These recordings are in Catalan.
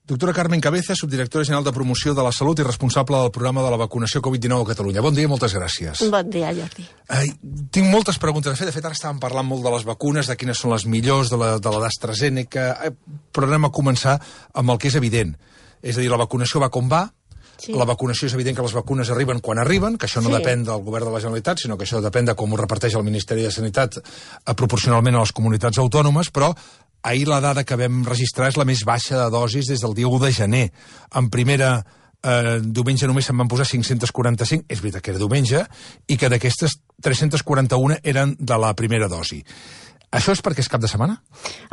Doctora Carmen Cabeza, subdirectora general de Promoció de la Salut i responsable del programa de la vacunació Covid-19 a Catalunya. Bon dia i moltes gràcies. Bon dia, Jordi. Tinc moltes preguntes a fer. De fet, ara estàvem parlant molt de les vacunes, de quines són les millors, de la d'AstraZeneca, però anem a començar amb el que és evident. És a dir, la vacunació va com va. Sí. La vacunació és evident que les vacunes arriben quan arriben, que això no depèn del govern de la Generalitat, sinó que això depèn de com ho reparteix el Ministeri de Sanitat proporcionalment a les comunitats autònomes, però ahir la dada que vam registrar és la més baixa de dosis des del dia 1 de gener. En primera diumenge només se'n van posar 545, és veritat que era diumenge, i que d'aquestes 341 eren de la primera dosi. Això és perquè és cap de setmana?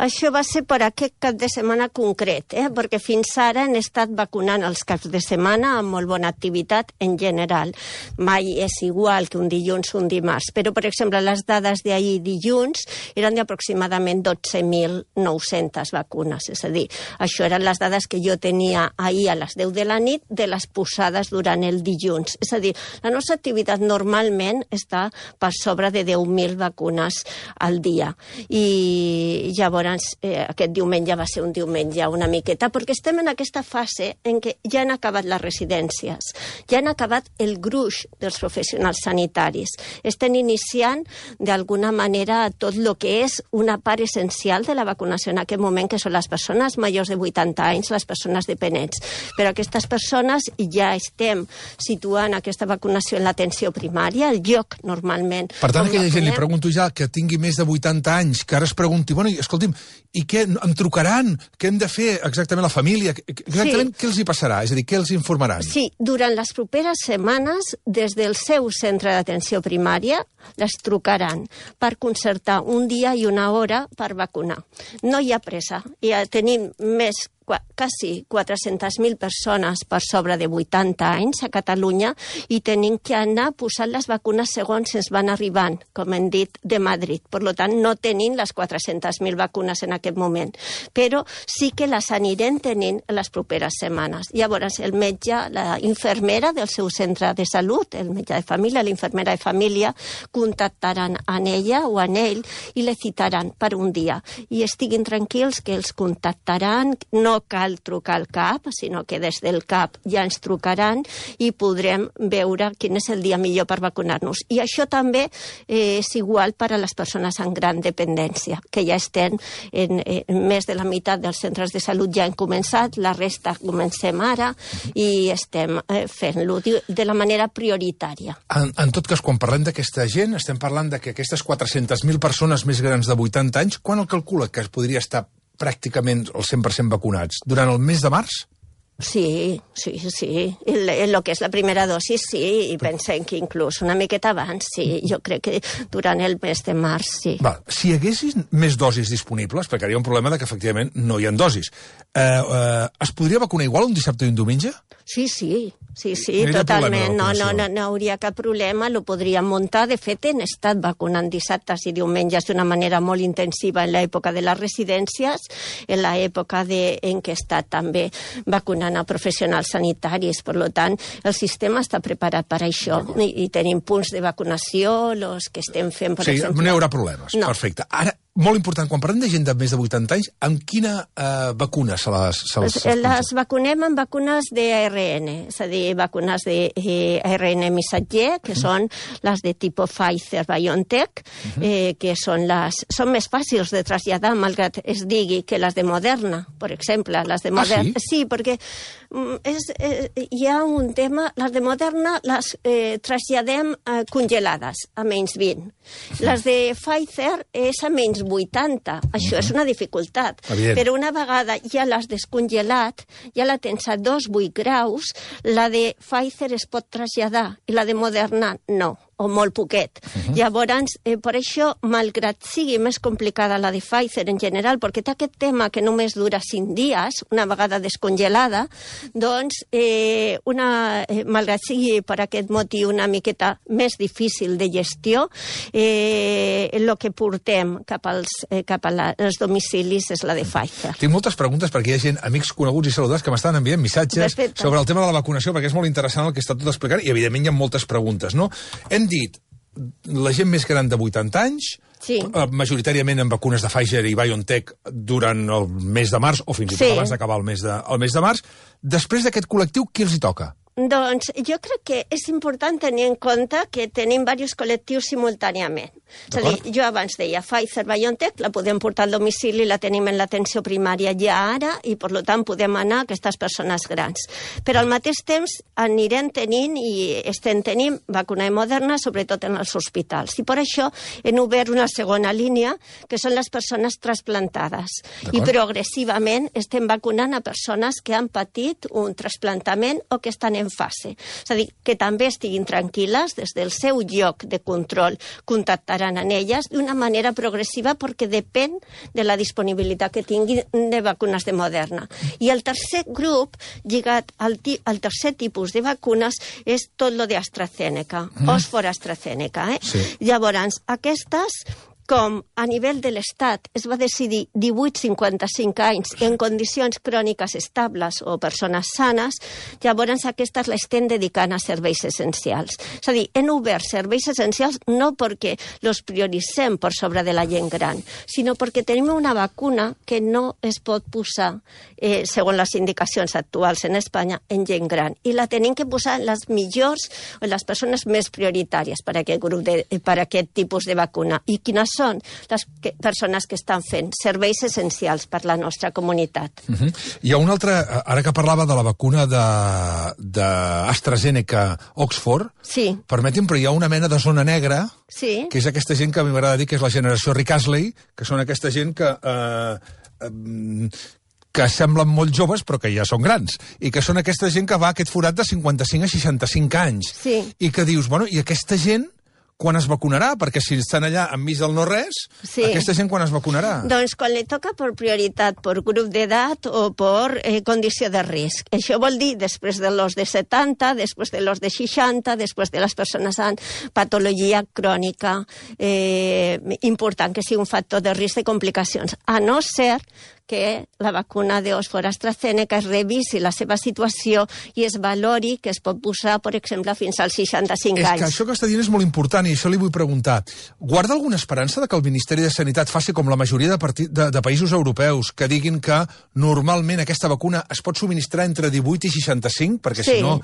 Això va ser per aquest cap de setmana concret, perquè fins ara han estat vacunant els caps de setmana amb molt bona activitat en general. Mai és igual que un dilluns o un dimarts, però, per exemple, les dades d'ahir dilluns eren d'aproximadament 12.900 vacunes. És a dir, això eren les dades que jo tenia ahir a les 10 de la nit de les posades durant el dilluns. És a dir, la nostra activitat normalment està per sobre de 10.000 vacunes al dia. I llavors aquest diumenge va ser un diumenge una miqueta, perquè estem en aquesta fase en què ja han acabat les residències, ja han acabat el gruix dels professionals sanitaris. Estem iniciant d'alguna manera tot el que és una part essencial de la vacunació en aquest moment, que són les persones majors de 80 anys, les persones dependents. Però aquestes persones ja estem situant aquesta vacunació en l'atenció primària, el lloc normalment. Per tant, aquella gent, li pregunto ja, que tingui més de 80 anys, que ara es pregunti, bueno, escolti'm, i què, em trucaran? Què hem de fer exactament la família? Exactament què els hi passarà? És a dir, què els informaran? Sí, durant les properes setmanes, des del seu centre d'atenció primària, les trucaran per concertar un dia i una hora per vacunar. No hi ha pressa. Ja tenim quasi 400.000 persones per sobre de 80 anys a Catalunya i tenim que anar posant les vacunes segons ens van arribant, com hem dit, de Madrid. Per tant, no tenim les 400.000 vacunes en aquest moment, però sí que les anirem tenint en les properes setmanes. Llavors, el metge, la infermera del seu centre de salut, el metge de família, la infermera de família, contactaran en ella o en ell i le citaran per un dia. I estiguin tranquils que els contactaran, no cal trucar al CAP, sinó que des del CAP ja ens trucaran i podrem veure quin és el dia millor per vacunar-nos. I això també és igual per a les persones amb gran dependència, que ja estem en més de la meitat dels centres de salut ja han començat, la resta comencem ara i estem fent-lo de la manera prioritària. En tot cas, quan parlem d'aquesta gent, estem parlant de que aquestes 400.000 persones més grans de 80 anys, quan el calcula que es podria estar pràcticament el 100% vacunats? Durant el mes de març? Sí. El que és la primera dosi, sí, i pensem que inclús una miqueta abans, sí. Jo crec que durant el mes de març, sí. Si hi haguessin més dosis disponibles, perquè hi ha un problema que efectivament no hi ha dosis, es podria vacunar igual un dissabte i un diumenge? Sí, totalment. No hauria cap problema, lo podríem muntar. De fet, hem estat vacunant dissabtes i diumenges d'una manera molt intensiva en l'època de les residències, en l'època en què he estat també vacunant a professionals sanitaris. Per tant, el sistema està preparat per això. I tenim punts de vacunació, els que estem fent, per exemple... Sí, no hi haurà problemes. No. Perfecte. Ara, molt important, quan parlem de gent de més de 80 anys, amb quina vacuna se les vacunem amb vacunes d'ARN, és a dir, vacunes d'ARN missatger, que són les de tipus Pfizer-BioNTech, que són més fàcils de traslladar, malgrat es digui que les de Moderna, per exemple. Les de Moderna, sí, perquè hi ha un tema, les de Moderna les traslladem congelades, a menys 20. Les de Pfizer és a menys 80. Això és una dificultat. Però una vegada ja l'has descongelat, ja la tens a 2,8 graus, la de Pfizer es pot traslladar i la de Moderna no, o molt poquet. Llavors, per això, malgrat sigui més complicada la de Pfizer en general, perquè té aquest tema que només dura 5 dies, una vegada descongelada, doncs, malgrat sigui per aquest motiu una miqueta més difícil de gestió, el que portem cap als domicilis és la de Pfizer. Tinc moltes preguntes perquè hi ha gent, amics coneguts i saludats, que m'estan enviant missatges sobre el tema de la vacunació, perquè és molt interessant el que està tot explicant, i evidentment hi ha moltes preguntes, no? Hem dit la gent més gran de 80 anys, majoritàriament amb vacunes de Pfizer i BioNTech durant el mes de març, o fins i tot abans d'acabar el mes de març. Després d'aquest col·lectiu, qui els hi toca? Doncs jo crec que és important tenir en compte que tenim diversos col·lectius simultàniament. És a dir, jo abans deia Pfizer-BioNTech, la podem portar al domicili, la tenim en l'atenció primària ja ara i, per tant, podem anar a aquestes persones grans. Però al mateix temps anirem tenint i estem tenint vacuna Moderna, sobretot en els hospitals. I per això hem obert una segona línia, que són les persones trasplantades. I progressivament estem vacunant a persones que han patit un trasplantament o que estan en fase. És a dir, que també estiguin tranquil·les, des del seu lloc de control contactaran amb elles d'una manera progressiva perquè depèn de la disponibilitat que tinguin de vacunes de Moderna. I el tercer grup, lligat al tercer tipus de vacunes, és tot lo d'AstraZeneca, Oxford AstraZeneca. Llavors, aquestes, com a nivell de l'Estat es va decidir 18-55 anys en condicions cròniques estables o persones sanes, llavors aquestes l'estem dedicant a serveis essencials. És a dir, hem obert serveis essencials no perquè els prioritzem per sobre de la gent gran, sinó perquè tenim una vacuna que no es pot posar, segons les indicacions actuals en Espanya, en gent gran. I la tenim que posar en les millors o en les persones més prioritàries per a aquest tipus de vacuna. I quines són les persones que estan fent serveis essencials per la nostra comunitat. Hi ha una altra, ara que parlava de la vacuna d'AstraZeneca-Oxford, permeti'm, però hi ha una mena de zona negra, que és aquesta gent que a mi m'agrada dir que és la generació Rick Astley, que són aquesta gent que semblen molt joves però que ja són grans, i que són aquesta gent que va a aquest forat de 55 a 65 anys. I que dius, bueno, i aquesta gent quan es vacunarà? Perquè si estan allà enmig del no-res, aquesta gent quan es vacunarà? Doncs quan li toca per prioritat, per grup d'edat o per condició de risc. Això vol dir després de los de 70, després de los de 60, després de les persones amb patologia crònica important, que sigui un factor de risc de complicacions. A no ser que la vacuna d'Oxford AstraZeneca es revisi la seva situació i es valori que es pot posar, per exemple, fins als 65 anys. És que això que està dient és molt important i això li vull preguntar. Guarda alguna esperança de que el Ministeri de Sanitat faci com la majoria de països europeus, que diguin que normalment aquesta vacuna es pot subministrar entre 18 i 65? Perquè si no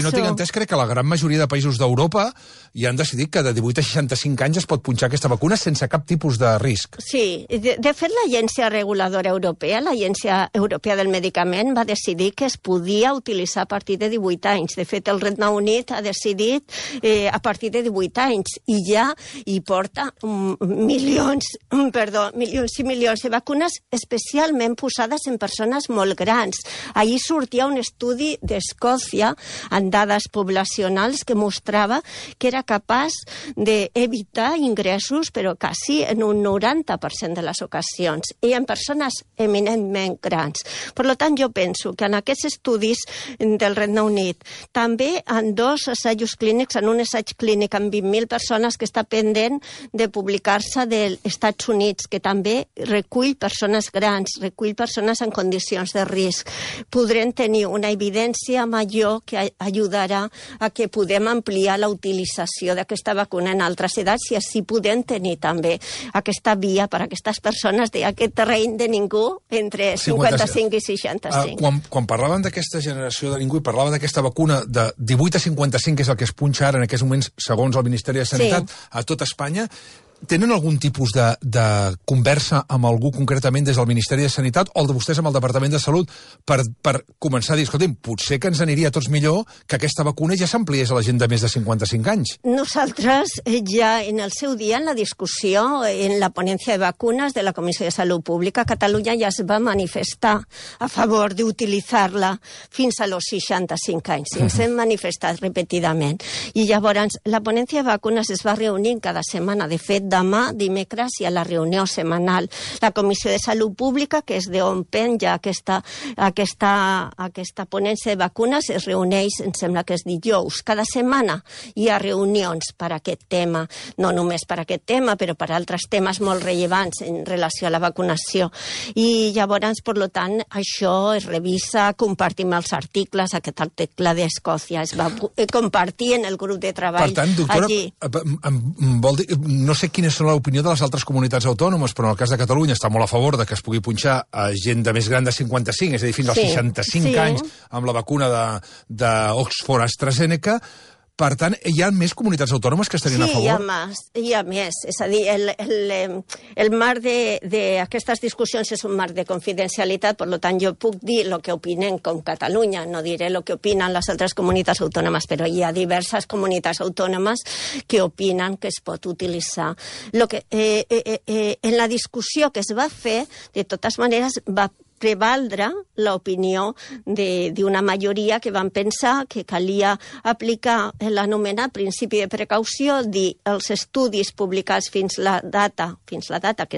tinc entès, crec que la gran majoria de països d'Europa ja han decidit que de 18 a 65 anys es pot punxar aquesta vacuna sense cap tipus de risc. Sí, de fet l'agència reguladora europea, l'Agència Europea del Medicament, va decidir que es podia utilitzar a partir de 18 anys. De fet, el Regne Unit ha decidit a partir de 18 anys i ja hi porta milions i milions de vacunes especialment posades en persones molt grans. Ahir sortia un estudi d'Escòcia amb dades poblacionals que mostrava que era capaç d'evitar ingressos, però quasi en un 90% de les ocasions, i en persones eminentment grans. Per tant, jo penso que en aquests estudis del Regne Unit, també en 2 assajos clínics, en un assaig clínic amb 20.000 persones que està pendent de publicar-se dels Estats Units, que també recull persones grans, recull persones en condicions de risc, podrem tenir una evidència major que ajudarà a que podem ampliar la utilització d'aquesta vacuna en altres edats i així podem tenir també aquesta via per a aquestes persones d'aquest terreny de ningú entre 55 i 65. Quan parlàvem d'aquesta generació de ningú i parlava d'aquesta vacuna de 18 a 55, que és el que es punxa ara en aquests moments, segons el Ministeri de Sanitat, a tot Espanya, tenen algun tipus de conversa amb algú concretament des del Ministeri de Sanitat o el de vostès amb el Departament de Salut per començar a dir, escolta'm, potser que ens aniria a tots millor que aquesta vacuna ja s'ampliés a la gent de més de 55 anys? Nosaltres ja en el seu dia, en la discussió, en la ponència de vacunes de la Comissió de Salut Pública, Catalunya ja es va manifestar a favor d'utilitzar-la fins a los 65 anys. Ens hem manifestat repetidament. I llavors la ponència de vacunes es va reunir cada setmana. De fet, demà, dimecres, hi ha la reunió setmanal. La Comissió de Salut Pública, que és d'on penja aquesta ponència de vacunes, es reuneix, em sembla que és dijous. Cada setmana hi ha reunions per a aquest tema, no només per a aquest tema, però per a altres temes molt rellevants en relació a la vacunació. I llavors, per tant, això es revisa, compartim els articles, aquest article d'Escòcia es va compartir en el grup de treball. Per tant, doctora, vol dir, no sé quina és l'opinió de les altres comunitats autònomes, però en el cas de Catalunya està molt a favor de que es pugui punxar a gent de més gran de 55, és a dir, fins als 65 anys, amb la vacuna d'Oxford AstraZeneca. Per tant, hi ha més comunitats autònomes que estarien a favor? Sí, hi ha més. És a dir, el marc d'aquestes discussions és un marc de confidencialitat, per tant, jo puc dir el que opinen com Catalunya, no diré el que opinen les altres comunitats autònomes, però hi ha diverses comunitats autònomes que opinen que es pot utilitzar. En la discussió que es va fer, de totes maneres, va prevaldre l'opinió d'una majoria que van pensar que calia aplicar l'anomenat principi de precaució, dir els estudis publicats fins la data que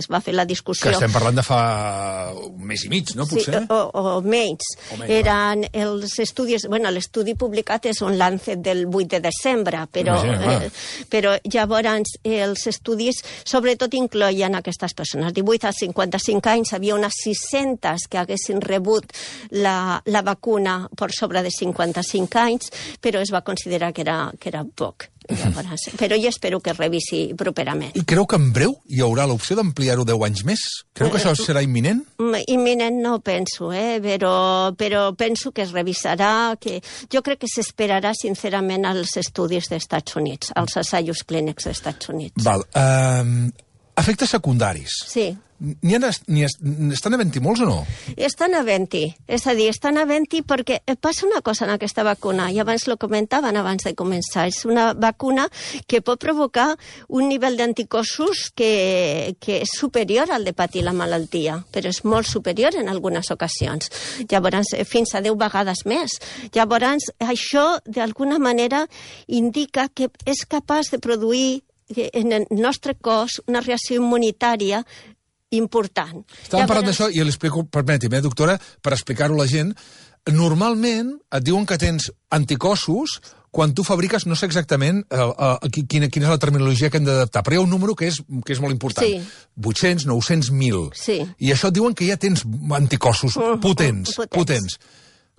es va fer la discussió. Que estem parlant de fa un mes i mig, no, potser? Sí, o menys. Eren els estudis... Bueno, l'estudi publicat és un Lancet del 8 de desembre, però llavors els estudis sobretot incloïen aquestes persones. 18 a 55 anys, havia unes 600 que haguessin rebut la vacuna per sobre de 55 anys, però es va considerar que era poc. Però jo espero que es revisi properament. I creu que en breu hi haurà l'opció d'ampliar-ho 10 anys més? Creu que això serà imminent? Imminent no penso, però penso que es revisarà, que jo crec que s'esperarà sincerament als estudis dels Estats Units, als assajos clínics dels Estats Units. Val. Efectes secundaris. Sí. Estan havent-hi molts o no? Estan havent-hi. És a dir, estan havent-hi perquè passa una cosa en aquesta vacuna, i abans ho comentaven abans de començar. És una vacuna que pot provocar un nivell d'anticossos que és superior al de patir la malaltia, però és molt superior en algunes ocasions. Llavors, fins a 10 vegades més. Llavors, això, d'alguna manera, indica que és capaç de produir en el nostre cos una reacció immunitària important. Estàvem parlant d'això i l'explico, permeti'm, doctora, per explicar-ho a la gent. Normalment et diuen que tens anticossos quan tu fabriques, no sé exactament quina és la terminologia que hem d'adaptar, però hi ha un número que és molt important. Sí. 800, 900, 1.000. Sí. I això et diuen que ja tens anticossos potents.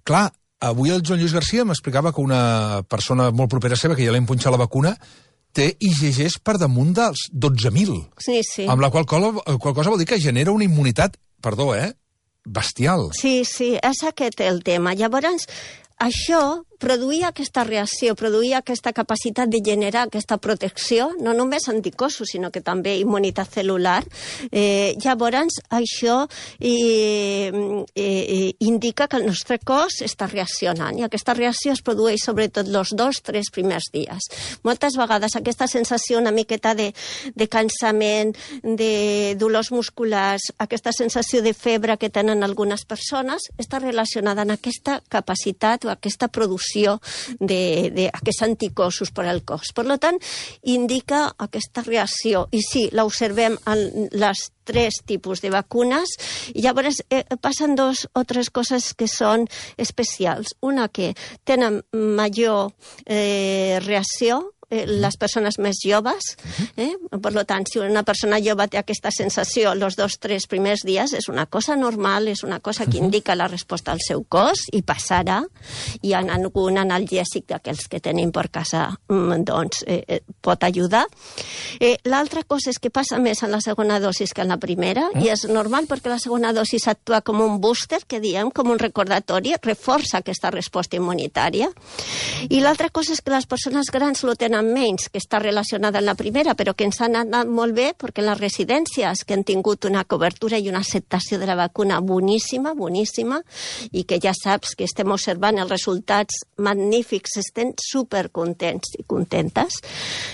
Clar, avui el Joan Lluís Garcia m'explicava que una persona molt propera seva, que ja l'hem punxat la vacuna, té IgGs per damunt dels 12.000. Sí. Amb la qual cosa vol dir que genera una immunitat, bestial. Sí, és aquest el tema. Llavors, això produïa aquesta reacció, produïa aquesta capacitat de generar aquesta protecció, no només anticossos, sinó que també immunitat celular. Llavors, això indica que el nostre cos està reaccionant, i aquesta reacció es produeix sobretot els 2-3 primers dies. Moltes vegades aquesta sensació una miqueta de cansament, de dolors musculars, aquesta sensació de febre que tenen algunes persones, està relacionada amb aquesta capacitat o aquesta producció d'aquests anticossos per al cos. Per tant, indica aquesta reacció. I sí, l'observem en les 3 tipus de vacunes, i llavors passen 2 o 3 coses que són especials. Una, que tenen major reacció, les persones més joves. Per tant, si una persona jove té aquesta sensació els 2-3 primers dies, és una cosa normal, és una cosa que indica la resposta al seu cos, i passarà. Hi ha algun analgèsic d'aquells que tenim per casa, doncs pot ajudar. L'altra cosa és que passa més en la segona dosis que en la primera, i és normal perquè la segona dosis actua com un booster, que diem, com un recordatori, reforça aquesta resposta immunitària. I l'altra cosa és que les persones grans lo tenen menys, que està relacionada amb la primera, però que ens han anat molt bé perquè les residències que han tingut una cobertura i una acceptació de la vacuna boníssima, i que ja saps que estem observant els resultats magnífics, estem supercontents i contentes.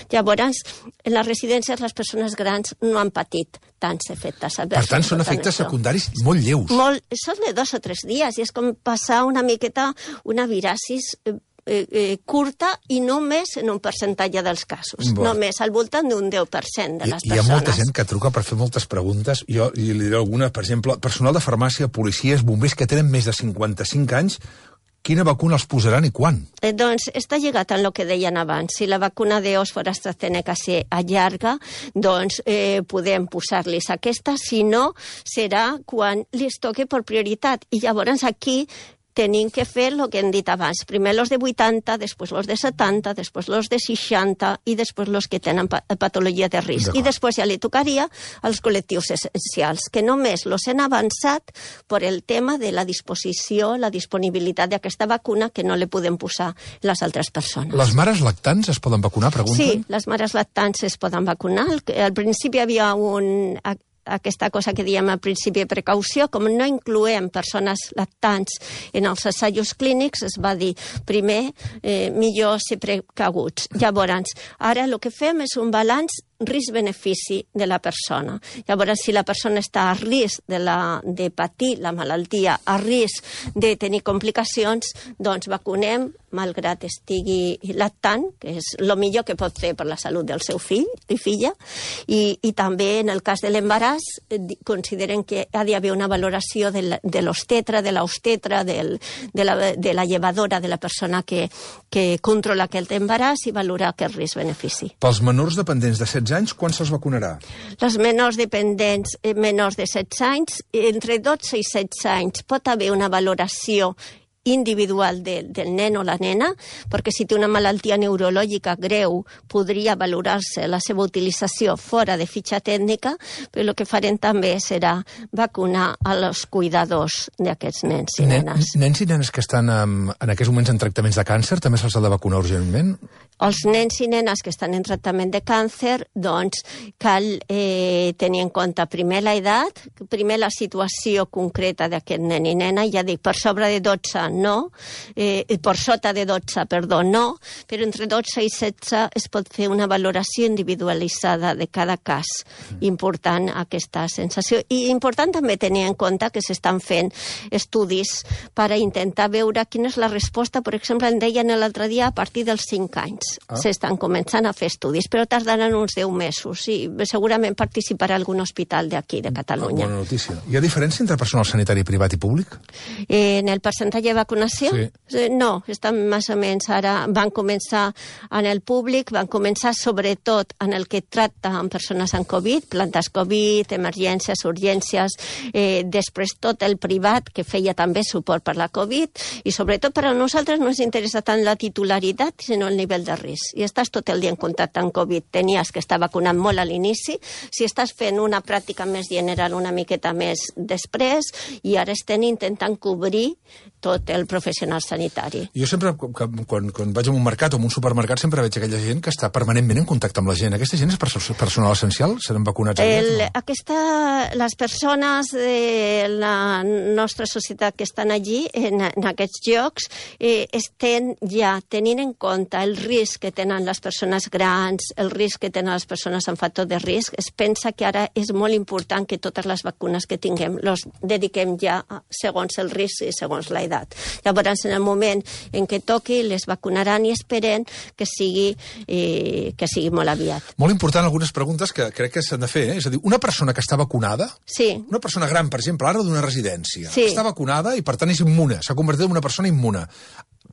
Llavors, en les residències les persones grans no han patit tants efectes adversos. Per tant, són efectes secundaris molt lleus. Són de 2 o 3 dies, i és com passar una miqueta una virasis curta i només en un percentatge dels casos. Només al voltant d'un 10% de les persones. Hi ha molta gent que truca per fer moltes preguntes. Jo li diré alguna, per exemple, personal de farmàcia, policies, bombers que tenen més de 55 anys, quina vacuna els posaran i quan? Doncs està lligat en el que deien abans. Si la vacuna d'Oxford AstraZeneca s'allarga, doncs podem posar-los aquesta, si no, serà quan li toqui per prioritat. I llavors aquí tenim que fer el que hem dit abans. Primer los de 80, després los de 70, després los de 60 i després los que tenen patologia de risc. I després ja li tocaria als col·lectius essencials, que només los han avançat per el tema de la disposició, la disponibilitat d'aquesta vacuna que no li podem posar les altres persones. Les mares lactants es poden vacunar, pregunten? Sí, les mares lactants es poden vacunar. Al principi hi havia aquesta cosa que diem al principi de precaució, com no incloem persones lactants en els assajos clínics, es va dir primer millor ser precaguts. Llavors, ara el que fem és un balanç risc-benefici de la persona. Llavors, si la persona està a risc de patir la malaltia, a risc de tenir complicacions, doncs vacunem, malgrat estigui lactant, que és el millor que pot fer per la salut del seu fill i filla, i també en el cas de l'embaràs consideren que ha d'haver una valoració de l'obstetra, de l'obstetra, de la llevadora, de la persona que controla aquest embaràs i valorar aquest risc-benefici. Pels menors dependents de 16 anys, quan se'ls vacunarà? Les menors dependents menors de 16 anys, entre 12 i 16 anys pot haver una valoració individual del nen o la nena, perquè si té una malaltia neurològica greu podria valorar-se la seva utilització fora de fitxa tècnica, però el que farem també serà vacunar als cuidadors d'aquests nens i nenes. Nens i nenes que estan en aquests moments en tractaments de càncer també se'ls ha de vacunar urgentment? Els nens i nenes que estan en tractament de càncer, doncs cal tenir en compte primer l'edat, primer la situació concreta d'aquest nen i nena, ja dic, per sobre de 12 no, per sota de 12, perdó, no, però entre 12 i 16 es pot fer una valoració individualitzada de cada cas. Important aquesta sensació. I important també tenir en compte que s'estan fent estudis per a intentar veure quina és la resposta, per exemple, em deien l'altre dia, a partir dels 5 anys. S'estan començant a fer estudis, però tardaran uns 10 mesos i segurament participarà algun hospital d'aquí, de Catalunya. Bona notícia. Hi ha diferència entre personal sanitari privat i públic? En el percentatge de vacunació? Sí. No, estan més o menys ara, van començar en el públic, van començar sobretot en el que tracta amb persones amb Covid, plantes Covid, emergències, urgències, després tot el privat que feia també suport per la Covid i sobretot per a nosaltres no ens interessa tant la titularitat sinó el nivell de risc. I estàs tot el dia en contacte amb Covid, tenies que estar vacunant molt a l'inici, si estàs fent una pràctica més general una miqueta més després i ara estem intentant cobrir tot el professional sanitari. Jo sempre, quan vaig a un mercat o a un supermercat, sempre veig aquella gent que està permanentment en contacte amb la gent. Aquesta gent és personal essencial? Seran vacunats aviat? Les persones de la nostra societat que estan allí, en aquests llocs, estan ja tenint en compte el risc que tenen les persones grans, el risc que tenen les persones amb factor de risc. Es pensa que ara és molt important que totes les vacunes que tinguem les dediquem ja segons el risc i segons l'edat. Llavors, en el moment en què toqui, les vacunaran i esperen que sigui molt aviat. Molt important algunes preguntes que crec que s'han de fer. És a dir, una persona que està vacunada, una persona gran, per exemple, ara d'una residència, està vacunada i, per tant, és immune, s'ha convertit en una persona immune.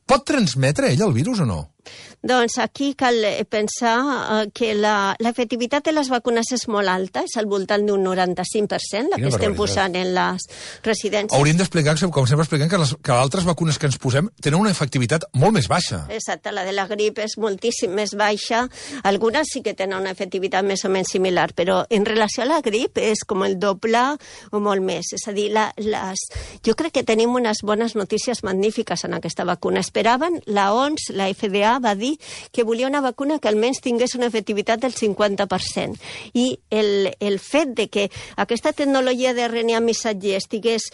Pot transmetre ella el virus o no? Doncs aquí cal pensar que l'efectivitat de les vacunes és molt alta, és al voltant d'un 95%, la que estem posant en les residències. Hauríem d'explicar, com sempre expliquem, que altres vacunes que ens posem tenen una efectivitat molt més baixa. Exacte, la de la grip és moltíssim més baixa, algunes sí que tenen una efectivitat més o menys similar, però en relació a la grip és com el doble o molt més. És a dir, jo crec que tenim unes bones notícies magnífiques en aquesta vacuna. Esperaven, la OMS, la FDA, va dir que volia una vacuna que almenys tingués una efectivitat del 50%. I el fet de que aquesta tecnologia de RNA missatger estigués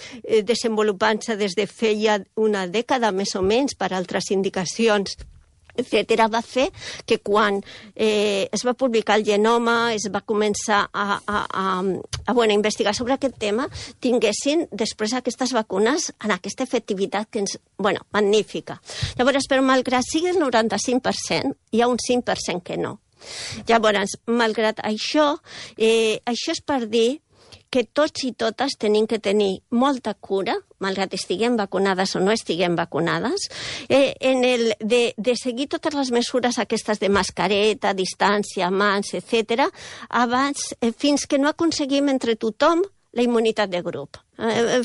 desenvolupant-se des de feia una dècada més o menys per altres indicacions etcètera, va fer que quan es va publicar el genoma, es va començar a investigar sobre aquest tema, tinguessin després aquestes vacunes en aquesta efectivitat que magnífica. Llavors, però malgrat sigui el 95%, hi ha un 5% que no. Llavors, malgrat això, això és per dir que tots i totes tenim que tenir molta cura, malgrat estiguem vacunades o no estiguem vacunades, de seguir totes les mesures aquestes de mascareta, distància, mans, etc., abans, fins que no aconseguim entre tothom la immunitat de grup.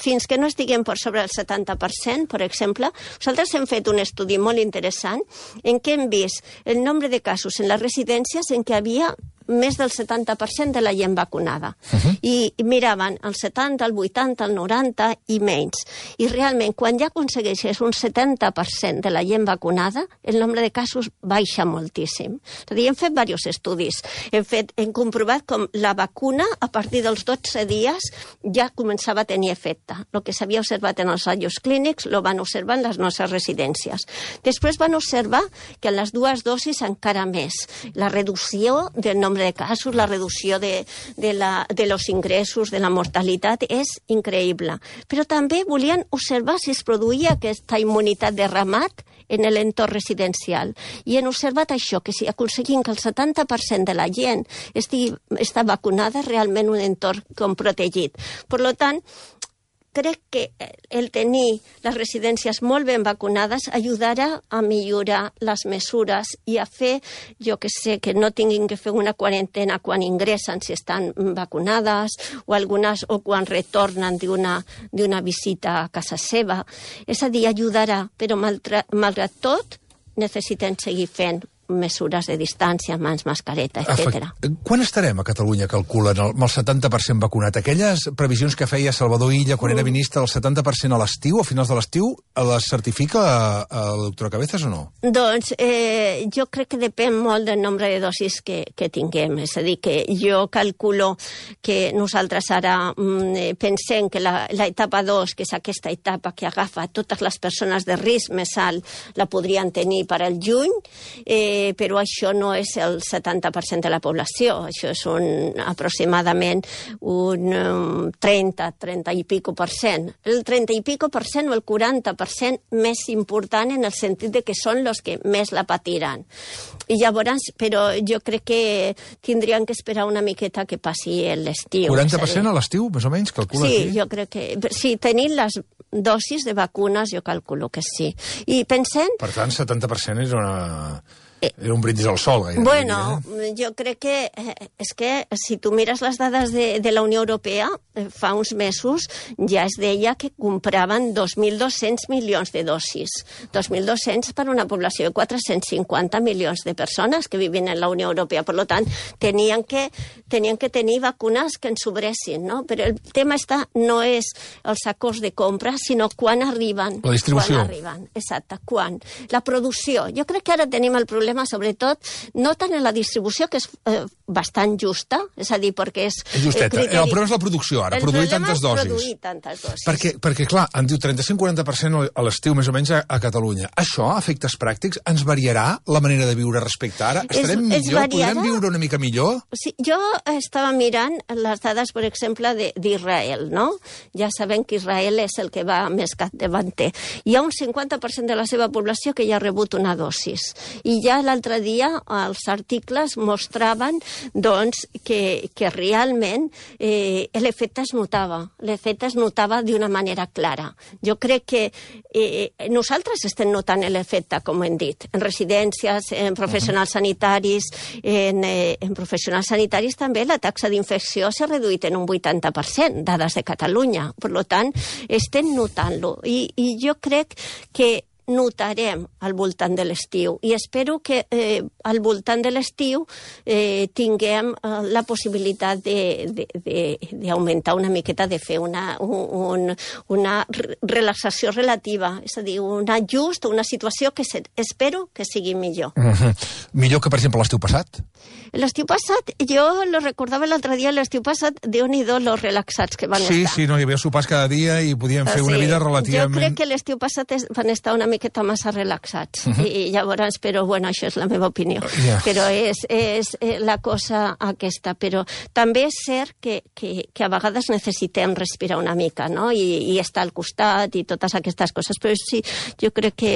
Fins que no estiguem per sobre el 70%, per exemple, nosaltres hem fet un estudi molt interessant en què hem vist el nombre de casos en les residències en què havia més del 70% de la gent vacunada. I miraven el 70, el 80, el 90 i menys. I realment, quan ja aconsegueixes un 70% de la gent vacunada, el nombre de casos baixa moltíssim. És a dir, hem fet diversos estudis. Hem comprovat com la vacuna, a partir dels 12 dies, ja començava a tenir efecte. El que s'havia observat en els assajos clínics lo van observar en les nostres residències. Després van observar que en les dues dosis encara més. La reducció del nombre de casos, la reducció de los ingressos, de la mortalitat, és increïble. Però també volien observar si es produïa aquesta immunitat de ramat en l'entorn residencial. I han observat això, que si aconseguim que el 70% de la gent està vacunada, realment un entorn com protegit. Per tant, crec que el tenir les residències molt ben vacunades ajudarà a millorar les mesures i a fer, jo que sé, que no tinguin que fer una quarantena quan ingressen si estan vacunades o quan retornen d'una visita a casa seva. És a dir, ajudarà, però malgrat tot necessitem seguir fent mesures de distància, mans, mascareta, etc. Quan estarem a Catalunya, calculen, amb el 70% vacunat? Aquelles previsions que feia Salvador Illa quan era ministre, el 70% a l'estiu, a finals de l'estiu, les certifica la doctora Cabezas o no? Doncs jo crec que depèn molt del nombre de dosis que tinguem. És a dir, que jo calculo que nosaltres ara pensem que l'etapa 2, que és aquesta etapa que agafa totes les persones de risc més alt, la podrien tenir per al juny, però això no és el 70% de la població, això és aproximadament un 30 i pico per cent. El 30 i pico per cent o el 40% més important en el sentit de que són els que més la patiran. I llavors, però jo crec que tindrien que esperar una miqueta que passi l'estiu. 40% a l'estiu, més o menys, calcula aquí? Sí, jo crec que... Sí, tenint les dosis de vacunes, jo calculo que sí. I pensem... Per tant, 70% era un brindis al sol, gairebé. Bueno, jo crec que és que si tu mires les dades de la Unió Europea, fa uns mesos ja es deia que compraven 2.200 milions de dosis. 2.200 per una població de 450 milions de persones que viven en la Unió Europea. Per tant, tenien que tenir vacunes que ens sobressin, no? Però el tema no és els acords de compra, sinó quan arriben. La distribució. Quan arriben, exacte, quan. La producció. Jo crec que ara tenim el problema sobretot, no tant en la distribució, que és bastant justa, és a dir, perquè és... És justeta. El problema és la producció, ara, produir tantes dosis. Produir tantes dosis. Perquè, clar, em diu 35-40% a l'estiu, més o menys, a Catalunya. Això, a efectes pràctics, ens variarà la manera de viure respecte a ara? Estarem millor? Podrem viure una mica millor? Sí, jo estava mirant les dades, per exemple, d'Israel, no? Ja sabem que Israel és el que va més capdavanter. Hi ha un 50% de la seva població que ja ha rebut una dosis. I ja l'altre dia els articles mostraven doncs, que realment l'efecte es notava d'una manera clara. Jo crec que nosaltres estem notant l'efecte, com hem dit, en residències, en professionals sanitaris, en professionals sanitaris també la taxa d'infecció s'ha reduït en un 80%, dades de Catalunya. Per tant, estem notant-lo. I jo crec que notarem al voltant de l'estiu i espero que al voltant de l'estiu tinguem la possibilitat d'augmentar una miqueta, de fer una relaxació relativa, és a dir, un ajust, una situació que espero que sigui millor. Millor que, per exemple, l'estiu passat? L'estiu passat, jo lo recordava l'altre dia, l'estiu passat, Déu-n'hi-do los relaxats que van estar. Sí, no, hi havia sopars cada dia i podíem fer una vida relativament... Jo crec que l'estiu passat van estar una miqueta massa relaxats. I llavors, però bueno, això és la meva opinió. Però és la cosa aquesta. Però també és cert que a vegades necessitem respirar una mica, no? I estar al costat i totes aquestes coses. Però sí, jo crec que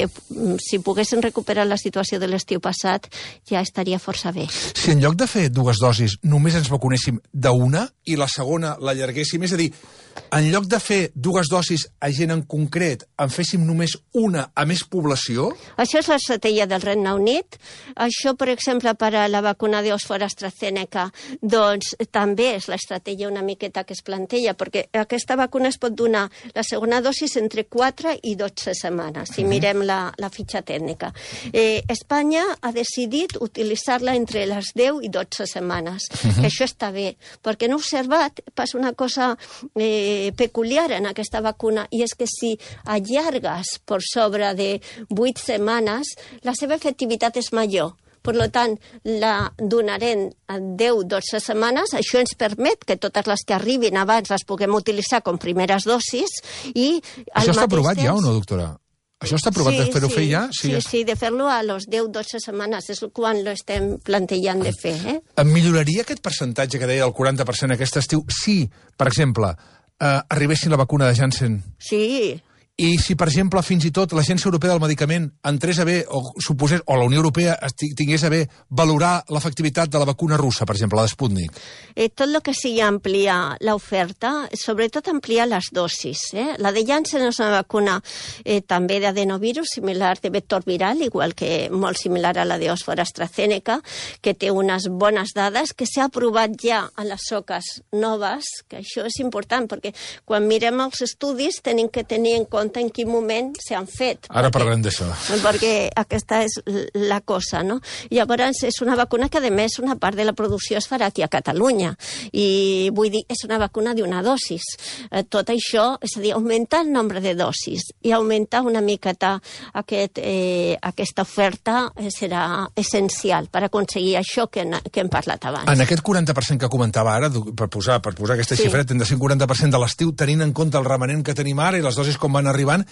si poguessin recuperar la situació de l'estiu passat ja estaria força bé. Si en lloc de fer 2 dosis només ens vacunéssim d'una i la segona l'allarguéssim, és a dir, en lloc de fer 2 dosis a gent en concret, en féssim només una a més població? Això és l'estratègia del Regne Unit. Això, per exemple, per a la vacuna d'Oxford AstraZeneca, doncs també és l'estratègia una miqueta que es planteja, perquè aquesta vacuna es pot donar la segona dosis entre 4 i 12 setmanes, si mirem la fitxa tècnica. Espanya ha decidit utilitzar-la entre les 10 i 12 setmanes. Això està bé, perquè no he observat, passa una cosa peculiar en aquesta vacuna, i és que si allargues per sobre de 8 setmanes, la seva efectivitat és major. Per tant, la donarem en 10-12 setmanes. Això ens permet que totes les que arribin abans les puguem utilitzar com primeres dosis. I això està aprovat ja o no, doctora? Això està aprovat de fer-ho fer ja? Sí, de fer-lo a les 10-12 setmanes. És quan lo estem plantejant de fer. Milloraria aquest percentatge que deia del 40% aquest estiu si, per exemple, arribessin la vacuna de Janssen? Sí. I si, per exemple, fins i tot l'Agència Europea del Medicament entrés a bé, o la Unió Europea tingués a bé valorar l'efectivitat de la vacuna russa, per exemple, la de Sputnik? Tot el que sigui ampliar l'oferta, sobretot ampliar les dosis. La de Janssen és una vacuna també d'adenovirus, similar de vector viral, igual que molt similar a la d'Oxford AstraZeneca, que té unes bones dades, que s'ha aprovat ja a les soques noves, que això és important, perquè quan mirem els estudis tenim que tenir en compte en quin moment s'han fet. Ara parlarem d'això. Perquè aquesta és la cosa, no? Llavors, és una vacuna que, a més, una part de la producció es farà aquí a Catalunya. I vull dir, és una vacuna d'una dosis. Tot això, és a dir, augmentar el nombre de dosis i augmentar una miqueta aquesta oferta serà essencial per aconseguir això que hem parlat abans. En aquest 40% que comentava ara, per posar aquesta xifra, hem de ser un 40% de l'estiu, tenint en compte el remanent que tenim ara i les dosis com van arribant,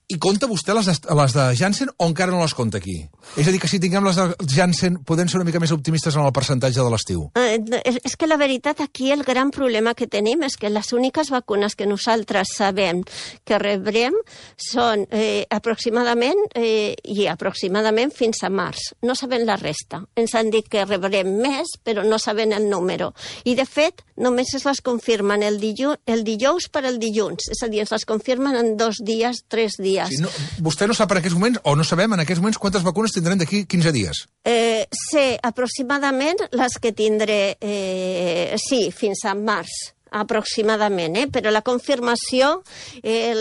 i compta vostè les de Janssen o encara no les compta aquí? És a dir, que si tinguem les de Janssen podem ser una mica més optimistes en el percentatge de l'estiu? És que la veritat aquí el gran problema que tenim és que les úniques vacunes que nosaltres sabem que rebrem són aproximadament fins a març. No sabem la resta. Ens han dit que rebrem més, però no sabem el número. I, de fet, només es les confirmen el dijous per el dilluns. És a dir, es les confirmen en 2 dies, 3 dies. Sí, vostè no sap en aquests moments, o no sabem en aquests moments, quantes vacunes tindrem d'aquí 15 dies? Sé aproximadament les que tindré, fins a març. Aproximadament, però la confirmació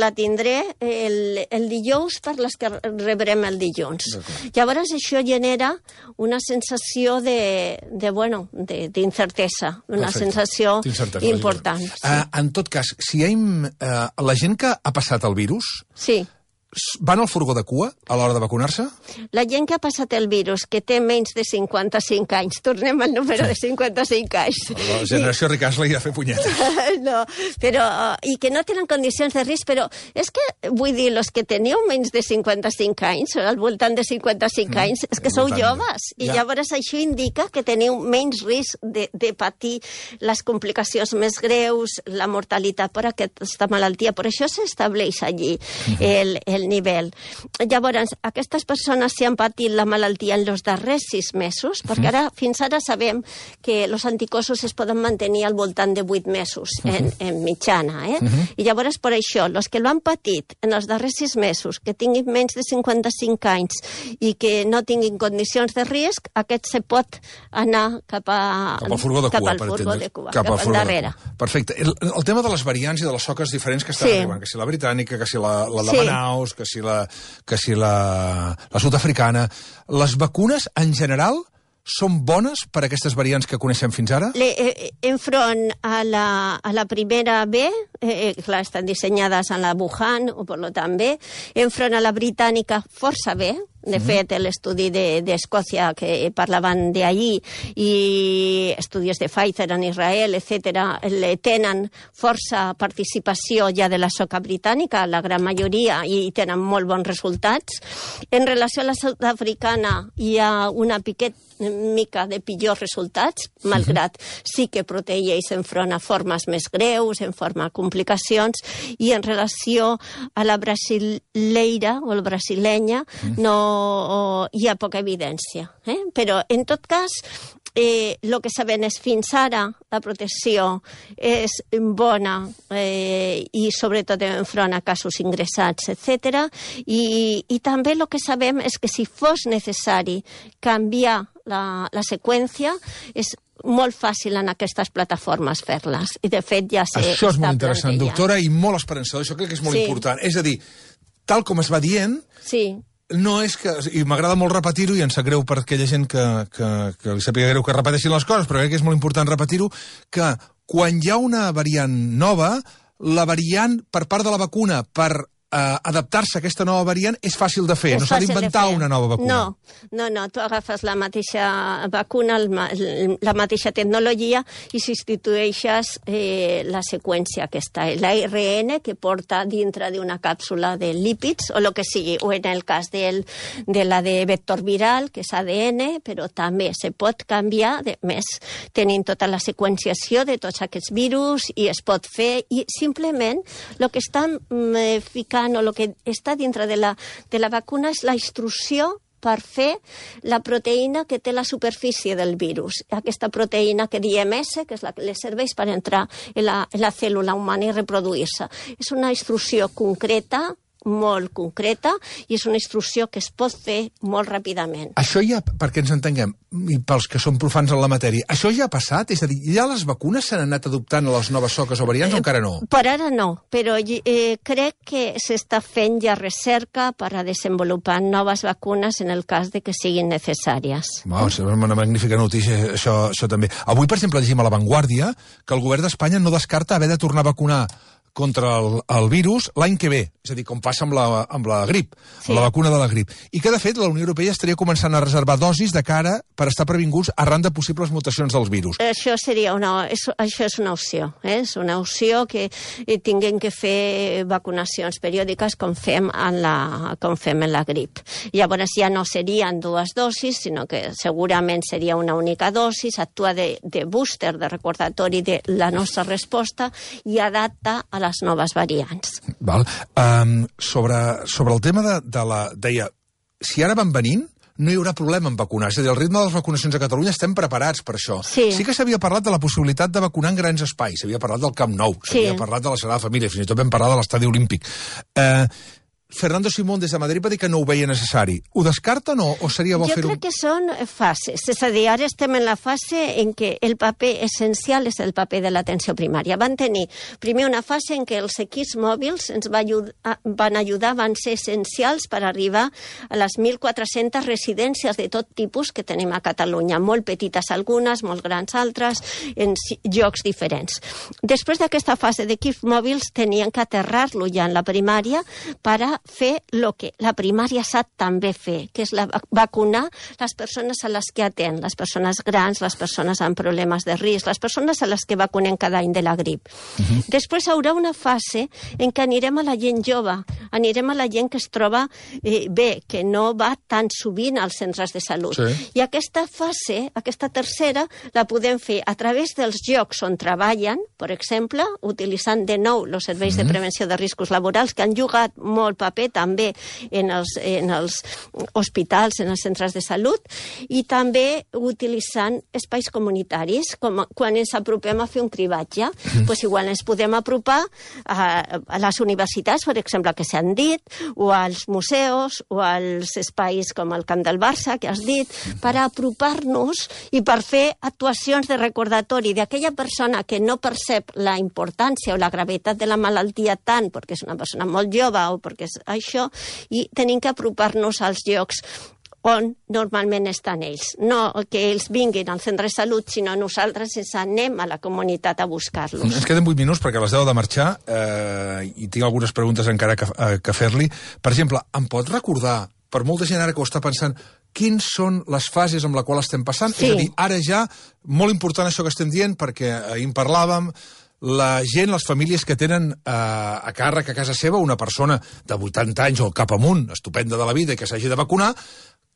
la tindré el dijous per les que rebrem el dilluns. Llavors això genera una sensació d'incertesa, una sensació important. En tot cas, si la gent que ha passat el virus... Sí. Van al furgó de cua a l'hora de vacunar-se? La gent que ha passat el virus, que té menys de 55 anys, tornem al número de 55 anys. La generació Ricasla hi ha de fer punyeta. No, però, i que no tenen condicions de risc, però és que, vull dir, els que teniu menys de 55 anys, al voltant de 55 anys, és que sou joves, i llavors això indica que teniu menys risc de patir les complicacions més greus, la mortalitat per aquesta malaltia. Per això s'estableix allí el nivell. Llavors, aquestes persones si han patit la malaltia en els darrers 6 mesos, perquè fins ara sabem que els anticossos es poden mantenir al voltant de 8 mesos en mitjana. I llavors, per això, els que l'han patit en els darrers 6 mesos, que tinguin menys de 55 anys i que no tinguin condicions de risc, aquest se pot anar cap al furgó de cua, cap al darrere. Perfecte. El tema de les variants i de les soques diferents que estan arribant, que si la britànica, que si la de Manaus, que si la sud-africana. Les vacunes, en general, són bones per a aquestes variants que coneixem fins ara? Enfront a la primera B, clar, estan dissenyades a la Wuhan, o per lo també, enfront a la britànica força bé. De fet, l'estudi d'Escòcia que parlaven d'ahir i estudis de Pfizer en Israel, etc., tenen força participació ja de la soca britànica, la gran majoria, i tenen molt bons resultats. En relació a la sud-africana hi ha una mica de pitjors resultats, malgrat sí que protegeix enfront a formes més greus, en forma de complicacions, i en relació a la brasileira o la brasilenya no hi ha poca evidència. Però, en tot cas, el que sabem és fins ara la protecció és bona i sobretot enfront a casos ingressats, etc. I també el que sabem és que si fos necessari canviar la seqüència és molt fàcil en aquestes plataformes fer-les. I de fet ja s'està Això és molt interessant, doctora, i molt esperançador. Això crec que és molt important. És a dir, tal com es va dient... Sí. No és que... I m'agrada molt repetir-ho, i em sap greu per aquella gent que li sàpiga greu que repeteixin les coses, però crec que és molt important repetir-ho, que quan hi ha una variant nova, la variant per part de la vacuna per adaptar-se a aquesta nova variant és fàcil de fer, no s'ha d'inventar una nova vacuna. No, tu agafes la mateixa vacuna, la mateixa tecnologia i substitueixes la seqüència aquesta, l'ARN que porta dintre d'una càpsula de lípids o el que sigui, o en el cas de la de vector viral, que és ADN, però també se pot canviar, més tenint tota la seqüenciació de tots aquests virus i es pot fer, i simplement el que estan ficant o el que està dintre de la vacuna és la instrucció per fer la proteïna que té la superfície del virus. Aquesta proteïna que diem S, que és la que li serveix per entrar en la cèl·lula humana i reproduir-se. És una instrucció concreta, molt concreta, i és una instrucció que es pot fer molt ràpidament. Això ja, perquè ens entenguem, i pels que són profans en la matèria, això ja ha passat? És a dir, ja les vacunes s'han anat adoptant a les noves soques o variants o encara no? Per ara no, però crec que s'està fent ja recerca per a desenvolupar noves vacunes en el cas de que siguin necessàries. És una magnífica notícia, això també. Avui, per exemple, llegim a La Vanguardia que el govern d'Espanya no descarta haver de tornar a vacunar contra el virus l'any que ve, és a dir, com passa amb la grip, amb la vacuna de la grip. I que, de fet, la Unió Europea estaria començant a reservar dosis de cara per estar previnguts arran de possibles mutacions dels virus. Això és una opció. És una opció que tinguem que fer vacunacions periòdiques com fem en la grip. Llavors ja no serien dues dosis, sinó que segurament seria una única dosis, actua de booster, de recordatori de la nostra resposta i adapta a les noves variants. Val. Sobre el tema deia, si ara van venint, no hi haurà problema en vacunar. És a dir, al ritme de les vacunacions a Catalunya estem preparats per això. Sí que s'havia parlat de la possibilitat de vacunar en grans espais, s'havia parlat del Camp Nou, s'havia parlat de la Sagrada Família, fins i tot vam parlar de l'Estadi Olímpic. Fernando Simón des de Madrid va dir que no ho veia necessari. Ho descarten o seria bo fer-ho? Jo crec que són fases. És a dir, ara estem en la fase en què el paper essencial és el paper de l'atenció primària. Van tenir primer una fase en què els equips mòbils ens van ajudar, van ser essencials per arribar a les 1.400 residències de tot tipus que tenim a Catalunya. Molt petites algunes, molt grans altres, en llocs diferents. Després d'aquesta fase d'equips mòbils tenien que aterrar-lo ja en la primària per a fer el que la primària sap també fer, que és vacunar les persones a les que atén, les persones grans, les persones amb problemes de risc, les persones a les que vacunem cada any de la grip. Després hi haurà una fase en què anirem a la gent jove, anirem a la gent que es troba bé, que no va tan sovint als centres de salut. I aquesta fase, aquesta tercera, la podem fer a través dels llocs on treballen, per exemple, utilitzant de nou els serveis de prevenció de riscos laborals, que han jugat molt paper també en els hospitals, en els centres de salut, i també utilitzant espais comunitaris, com quan ens apropem a fer un cribatge. Doncs igual ens podem apropar a les universitats, per exemple, que s'han dit, o als museus, o als espais com el Camp del Barça, que has dit, per apropar-nos i per fer actuacions de recordatori d'aquella persona que no percep la importància o la gravetat de la malaltia tant perquè és una persona molt jove o perquè és això, i tenim que apropar-nos als llocs on normalment estan ells. No que ells vinguin al centre de salut, sinó nosaltres ens anem a la comunitat a buscar-los. Ens queden 8 minuts perquè a les 10 de marxar i tinc algunes preguntes encara que fer-li. Per exemple, em pot recordar, per molta gent ara que ho està pensant, quins són les fases amb la qual estem passant? Sí. És a dir, ara ja, molt important això que estem dient, perquè ahir en parlàvem, la gent, les famílies que tenen a càrrec a casa seva una persona de 80 anys o cap amunt, estupenda de la vida i que s'hagi de vacunar,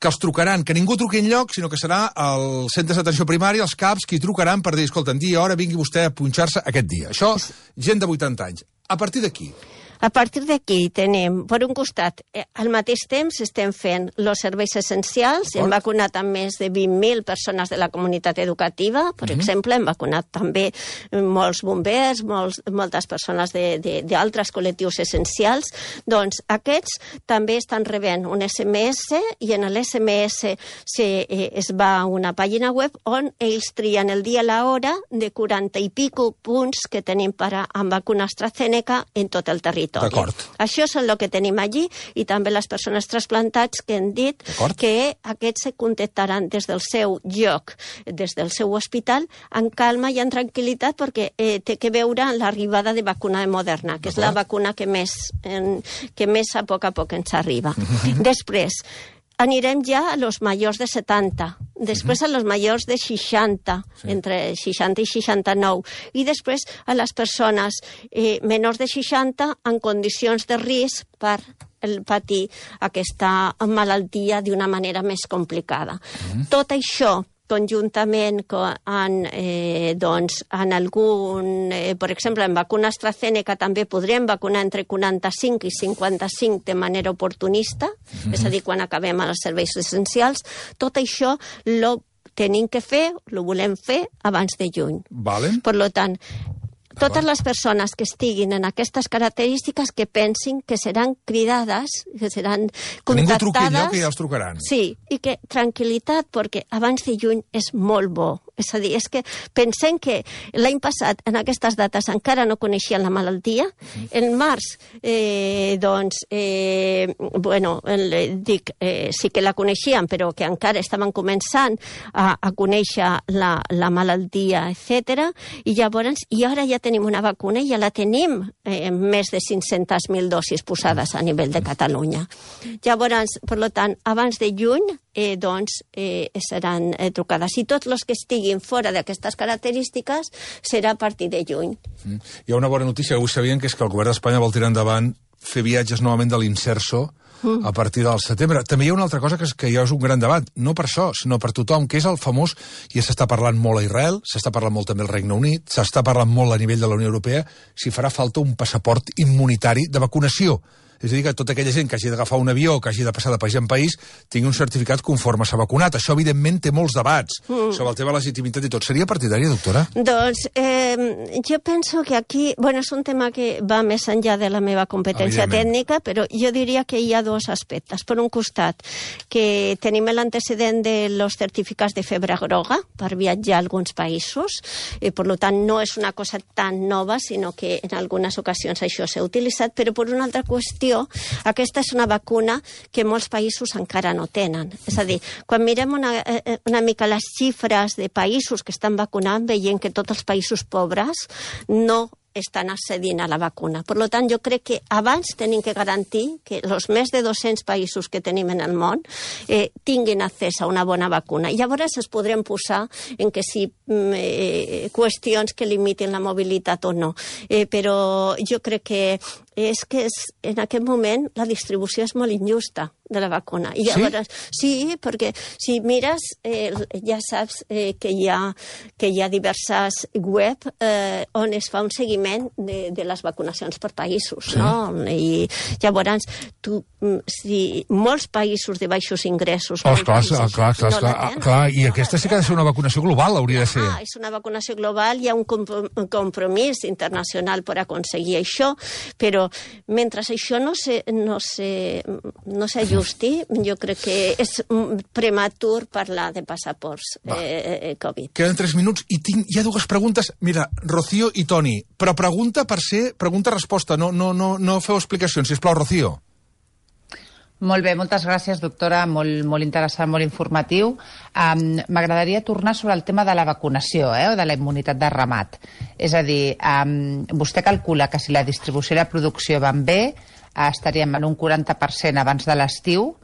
que els trucaran, que ningú truqui enlloc, sinó que serà els centres d'atenció primària, els CAPs, qui trucaran per dir, escolta, en dia i hora vingui vostè a punxar-se aquest dia. Això, gent de 80 anys. A partir d'aquí... A partir d'aquí tenim, per un costat, al mateix temps estem fent els serveis essencials, hem vacunat a més de 20.000 persones de la comunitat educativa, per exemple, hem vacunat també molts bombers, moltes persones d'altres col·lectius essencials. Doncs aquests també estan rebent un SMS i en l'SMS es va a una pàgina web on ells trien el dia i l'hora de 40 i pico punts que tenim amb vacuna AstraZeneca en tot el territori. Això és el que tenim allí i també les persones trasplantats que han dit que aquests se contactaran des del seu lloc, des del seu hospital, en calma i en tranquil·litat perquè té que veure l'arribada de vacuna de Moderna, que és la vacuna que més a poc ens arriba. Després, anirem ja a los majors de 70, després a los majors de 60, entre 60 i 69, i després a les persones menors de 60 en condicions de risc per patir aquesta malaltia d'una manera més complicada. Tot això conjuntament en algun, per exemple, en vacuna AstraZeneca també podrem vacunar entre 45 i 55 de manera oportunista, és a dir, quan acabem els serveis essencials. Tot això ho tenim que fer, ho volem fer abans de juny. Per tant, totes les persones que estiguin en aquestes característiques que pensin que seran cridades, que seran contactades... Que ningú truqui enlloc i ja els trucaran. Sí, i que tranquil·litat, perquè abans de juny és molt bo. És a dir, és que pensem que l'any passat, en aquestes dates, encara no coneixien la malaltia. En març, sí que la coneixien, però que encara estaven començant a conèixer la malaltia, etc. I llavors, i ara ja tenim una vacuna i ja la tenim més de 500.000 dosis posades a nivell de Catalunya. Llavors, per tant, abans de juny, seran trucades. I tots els que estiguin fora d'aquestes característiques serà a partir de juny. Hi ha una bona notícia que avui sabien, que és que el govern d'Espanya vol tirar endavant fer viatges novament de l'Inserso a partir del setembre. També hi ha una altra cosa que ja és un gran debat, no per això, sinó per tothom, que és el famós, i s'està parlant molt a Israel, s'està parlant molt també al Regne Unit, s'està parlant molt a nivell de la Unió Europea, si farà falta un passaport immunitari de vacunació. És a dir, que tota aquella gent que hagi d'agafar un avió o que hagi de passar de país en país tingui un certificat conforme s'ha vacunat. Això, evidentment, té molts debats sobre el tema de la legitimitat i tot. Seria partidària, doctora? Doncs jo penso que aquí... Bueno, és un tema que va més enllà de la meva competència tècnica, però jo diria que hi ha dos aspectes. Per un costat, que tenim l'antecedent de los certificats de febre groga per viatjar a alguns països, i per tant no és una cosa tan nova, sinó que en algunes ocasions això s'ha utilitzat, però per una altra qüestió, aquesta és una vacuna que molts països encara no tenen. És a dir, quan mirem una mica les xifres de països que estan vacunant, veiem que tots els països pobres no estan accedint a la vacuna. Per tant, jo crec que abans tenim que garantir que els més de 200 països que tenim en el món tinguin accés a una bona vacuna. I llavors es podrem posar en que si qüestions que limitin la mobilitat o no. Però jo crec que en aquest moment la distribució és molt injusta de la vacuna. I llavors, sí, perquè si mires, ja saps que hi ha diverses web on es fa un seguiment de les vacunacions per països, no? I llavors, si molts països de baixos ingressos... Clar, i aquesta sí que ha de ser una vacunació global, hauria de ser. És una vacunació global, hi ha un compromís internacional per aconseguir això, però mentre això no s'ajusti, jo crec que és prematur parlar de passaports Covid. Queden 3 minuts i hi ha dues preguntes. Mira, Rocío i Toni, però pregunta per ser pregunta-resposta, no feu explicacions, sisplau, Rocío. Molt bé, moltes gràcies, doctora. Molt interessant, molt informatiu. M'agradaria tornar sobre el tema de la vacunació, o de la immunitat de ramat. És a dir, vostè calcula que si la distribució i la producció van bé, estaríem en un 40% abans de l'estiu,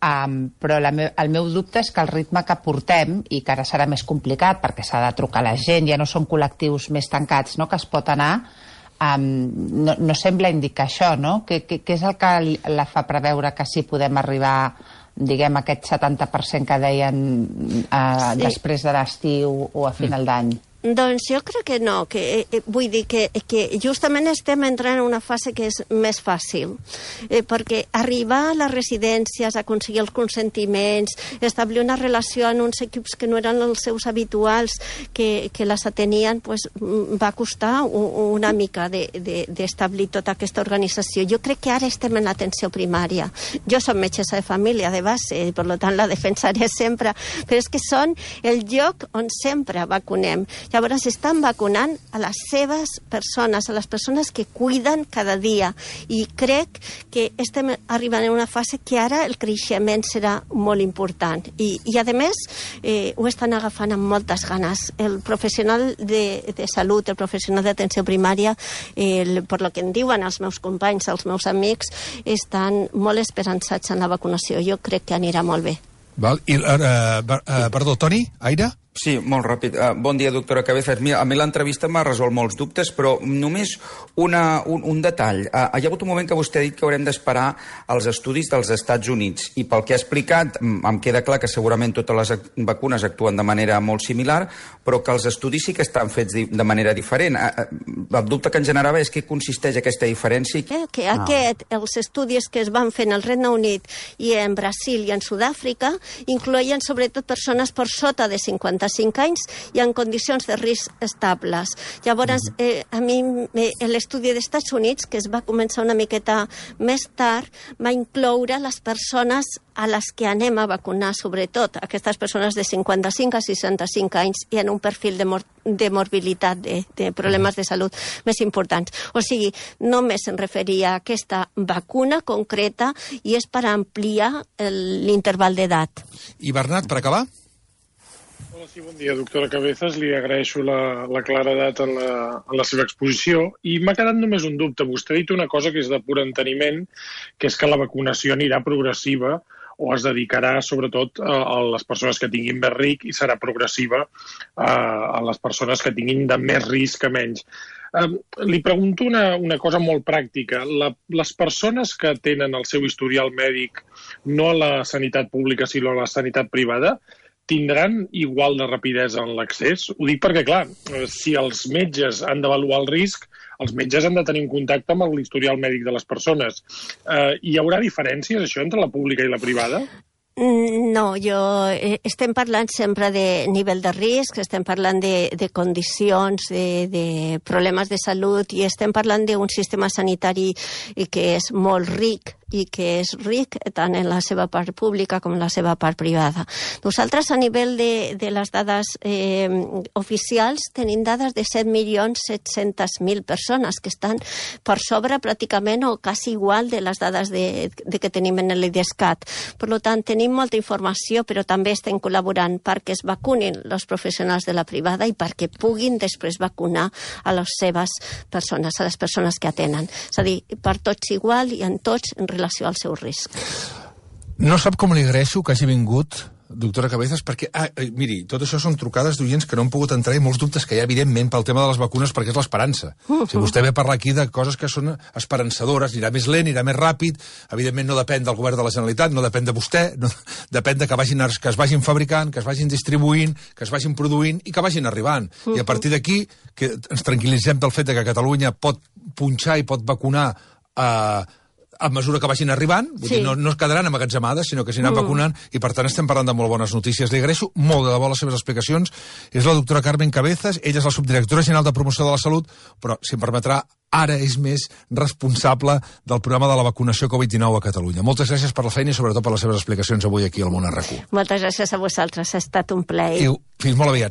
però el meu dubte és que el ritme que portem, i que ara serà més complicat perquè s'ha de trucar a la gent, ja no són col·lectius més tancats, no?, que es pot anar, no sembla indicar això, no? Què és el que la fa preveure que sí podem arribar, diguem, a aquest 70% que deien després de l'estiu o a final d'any? Doncs jo crec que no, vull dir que justament estem entrant en una fase que és més fàcil, perquè arribar a les residències, aconseguir els consentiments, establir una relació en uns equips que no eren els seus habituals, que les atenien, pues, va costar una mica d'establir tota aquesta organització. Jo crec que ara estem en l'atenció primària. Jo soc metgessa de família de base, i per tant la defensaré sempre, però és que són el lloc on sempre vacunem. Llavors estan vacunant a les seves persones, a les persones que cuiden cada dia, i crec que estem arribant en una fase que ara el creixement serà molt important, i a més ho estan agafant amb moltes ganes. El professional de salut, el professional d'atenció primària, per lo que em diuen els meus companys, els meus amics, estan molt esperançats en la vacunació. Jo crec que anirà molt bé. Perdó, Toni, Aire? Sí, molt ràpid. Bon dia, doctora Cabezas. A mi l'entrevista m'ha resolt molts dubtes, però només un detall. Hi ha hagut un moment que vostè ha dit que haurem d'esperar els estudis dels Estats Units, i pel que ha explicat em queda clar que segurament totes les vacunes actuen de manera molt similar, però que els estudis sí que estan fets de manera diferent. El dubte que ens generava és què consisteix aquesta diferència. Que els estudis que es van fer en el Regne Unit i en Brasil i en Sud-àfrica incloïen sobretot persones per sota de 55 anys i en condicions de risc estables. Llavors, a mi l'estudi dels Estats Units, que es va començar una miqueta més tard, va incloure les persones a les que anem a vacunar, sobretot aquestes persones de 55 a 65 anys i en un perfil de morbilitat, de problemes de salut més importants. O sigui, només em referia a aquesta vacuna concreta i és per ampliar l'interval d'edat. I Bernat, per acabar? Hola, sí, bon dia, doctora Cabezas. Li agraeixo la claredat en la seva exposició, i m'ha quedat només un dubte. Vostè ha dit una cosa que és de pur enteniment, que és que la vacunació anirà progressiva o es dedicarà sobretot a les persones que tinguin més risc i serà progressiva a les persones que tinguin de més risc a menys. Li pregunto una cosa molt pràctica. Les persones que tenen el seu historial mèdic no a la sanitat pública sinó a la sanitat privada tindran igual de rapidesa en l'accés? Ho dic perquè, clar, si els metges han d'avaluar el risc, els metges han de tenir un contacte amb l'historial mèdic de les persones. Hi haurà diferències, això, entre la pública i la privada? No, estem parlant sempre de nivell de risc, estem parlant de condicions, de problemes de salut, i estem parlant d'un sistema sanitari que és molt ric i que és ric tant en la seva part pública com en la seva part privada. Nosaltres, a nivell de les dades oficials, tenim dades de 7.700.000 persones que estan per sobre pràcticament o quasi igual de les dades que tenim en l'IDESCAT. Per tant, tenim molta informació, però també estem col·laborant perquè es vacunin els professionals de la privada i perquè puguin després vacunar a les seves persones, a les persones que atenen. És a dir, per tots igual i en tots en relació al seu risc. No sap com li agraeixo que hagi vingut, doctora Cabezas, perquè, miri, tot això són trucades d'oients que no han pogut entrar i molts dubtes que hi ha, evidentment, pel tema de les vacunes, perquè és l'esperança. Si vostè ve a parlar aquí de coses que són esperançadores, anirà més lent, anirà més ràpid, evidentment no depèn del govern de la Generalitat, no depèn de vostè, depèn de que es vagin fabricant, que es vagin distribuint, que es vagin produint i que vagin arribant. I a partir d'aquí, que ens tranquil·litzem del fet que Catalunya pot punxar i pot vacunar a mesura que vagin arribant, vull dir, no es quedaran emmagatzemades, sinó que s'aniran vacunant, i per tant estem parlant de molt bones notícies. Li agraeixo molt de debò les seves explicacions. És la doctora Carmen Cabezas, ella és la subdirectora general de Promoció de la Salut, però, si em permetrà, ara és més responsable del programa de la vacunació Covid-19 a Catalunya. Moltes gràcies per la feina i sobretot per les seves explicacions avui aquí al Món RQ. Moltes gràcies a vosaltres, ha estat un plaer. Fins molt aviat.